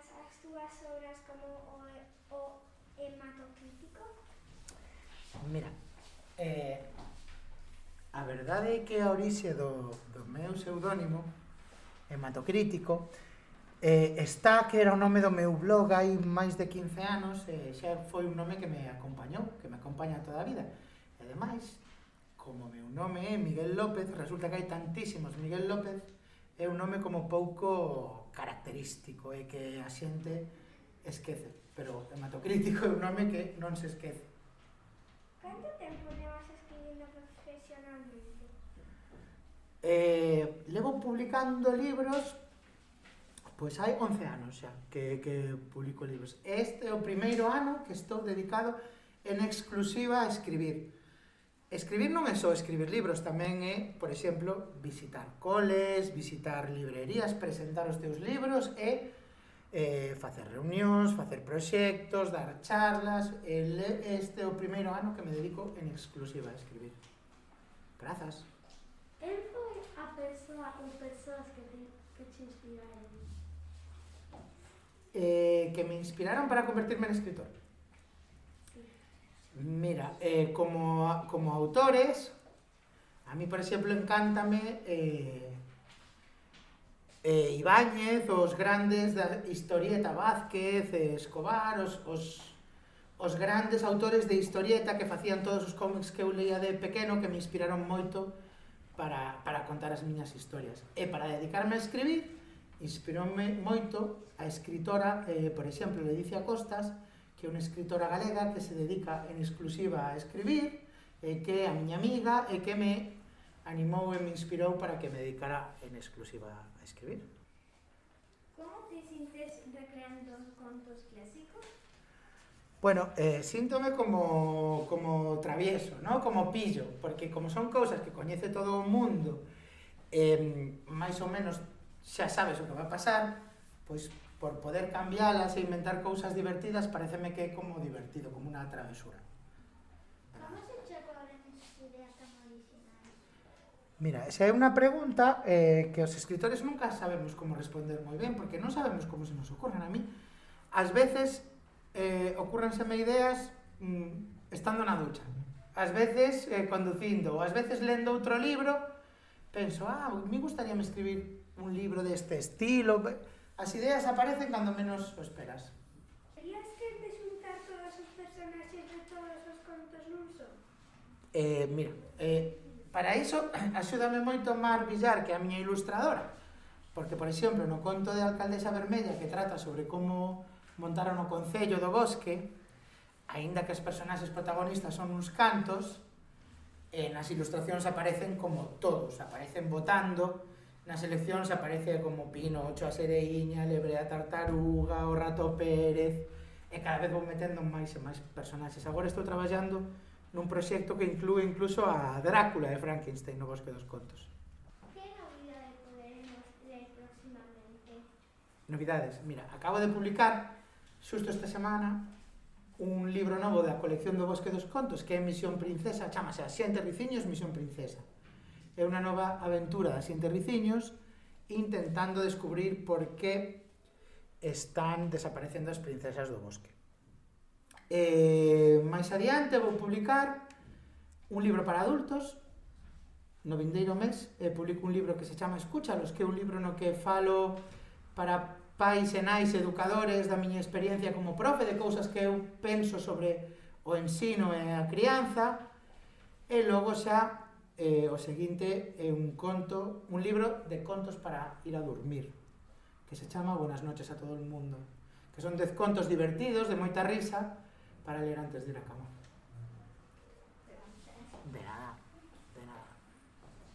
as túas obras como o hematocrítico? Mira, a verdade é que a orixe do meu pseudónimo, hematocrítico, está que era o nome do meu blog hai máis de 15 anos e xa foi un nome que me acompañou, que me acompaña toda a vida. E ademais, como o meu nome é Miguel López, resulta que hai tantísimos Miguel López, é un nome como pouco característico e que a xente esquece, pero hematocrítico é un nome que non se esquece. Canto tempo levas escribindo profesionalmente? Levo publicando libros pois hai 11 anos xa que publico libros. Este é o primeiro ano que estou dedicado en exclusiva a escribir. Escribir non é só escribir libros, tamén é, por exemplo, visitar coles, visitar librerías, presentar os teus libros e facer reunións, facer proxectos, dar charlas. Este é o primeiro ano que me dedico en exclusiva a escribir. Grazas. Quen foi a persoa ou persoas que te inspiraron? Que me inspiraron para convertirme en escritor. Sí. Mira, como autores, a mí, por exemplo, encántame Ibáñez, os grandes da historieta, Vázquez, Escobar, os grandes autores de historieta que facían todos os cómics que eu leía de pequeno, que me inspiraron moito para contar as miñas historias. E para dedicarme a escribir, inspiroume moito a escritora, por exemplo, Ledicia Costas, que é unha escritora galega que se dedica en exclusiva a escribir, que é a miña amiga e que me animou e me inspirou para que me dedicara en exclusiva a escribir. Como te sintes recreando contos clásicos? Bueno, síntome como travieso, ¿no? Como pillo, porque como son cousas que coñece todo o mundo, máis ou menos xa sabes o que va a pasar, pois por poder cambialas e inventar cousas divertidas, pareceme que é como divertido, como unha travesura. Como se chegou a esas ideas tan originais? Mira, esa é unha pregunta que os escritores nunca sabemos como responder moi ben, porque non sabemos como se nos ocorren. A mí, ás veces, ocurrenseme ideas estando na ducha, ás veces conducindo, ou ás veces lendo outro libro, penso, me gustaríame escribir un libro deste estilo. As ideas aparecen cando menos o esperas. Serías que de xuntar todos os personaxes de todos os contos nun só? Mira, para iso axúdame moito Mar Villar, que é a miña ilustradora, porque, por exemplo, no conto de Alcaldesa Vermella, que trata sobre como montaron o Concello do Bosque, aínda que os personaxes protagonistas son uns cantos, nas ilustracións aparecen como todos, aparecen botando. Nas eleccións aparece como Pinocho, a Sereiña, Lebre a Tartaruga, o Rato Pérez, e cada vez vou metendo máis e máis personaxes. Agora estou traballando nun proxecto que inclúe incluso a Drácula de Frankenstein no Bosque dos Contos. Que novidade poderemos ler próximamente? Novidades, mira, acabo de publicar xusto esta semana un libro novo da colección do Bosque dos Contos, que é Misión Princesa, chamase Asiente Riciños, Misión Princesa. É unha nova aventura das Riciños intentando descubrir por que están desaparecendo as princesas do bosque. Máis adiante vou publicar un libro para adultos. No vindeiro mes publico un libro que se chama Escúchalos, que é un libro no que falo para pais e nais educadores da miña experiencia como profe, de cousas que eu penso sobre o ensino e a crianza. E logo xa o seguinte é un libro de contos para ir a dormir, que se chama Buenas noches a todo el mundo, que son 10 contos divertidos, de moita risa, para ler antes de ir a cama. De nada.